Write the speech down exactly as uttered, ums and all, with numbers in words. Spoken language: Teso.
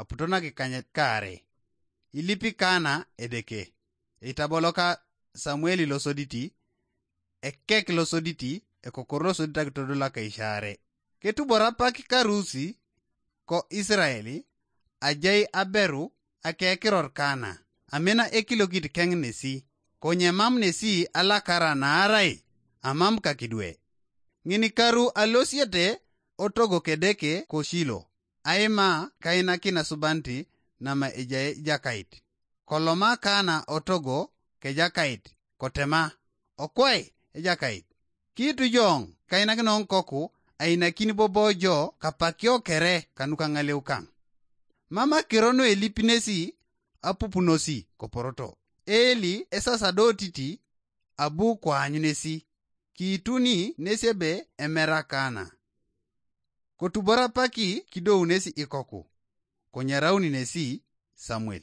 aputo nakikanyet kaare. Ilipi Kana Edeke. Eitaboloka Samueli losoditi, ekek losoditi, ekokor losoditi akitodol akaishaare. Ketubor apak karusi ko Israeli, ajai aberu akekiror Kana, amina ekilokit keng nesi, konye mam nesi alakara naarai amam kakidwe. Ngini karu alosiete otogo kedeke ko Shilo, aima kainakin asubanti nama ejai jakait. Koloma Kana otogo kejakait, kotema, "Okwai ejakait, kiitu jo kainakin ikoku ainakin bobo jo kapakio kere kanuka ŋaleu kang." Mam akiro nuelipinesi apupunosi koporoto. Eli esasadotiti abu koanyunesi, kiituni nesi ebe emera Kana. Kotubor apaki kidounesi ikoku, konyarauni nesi Samuel.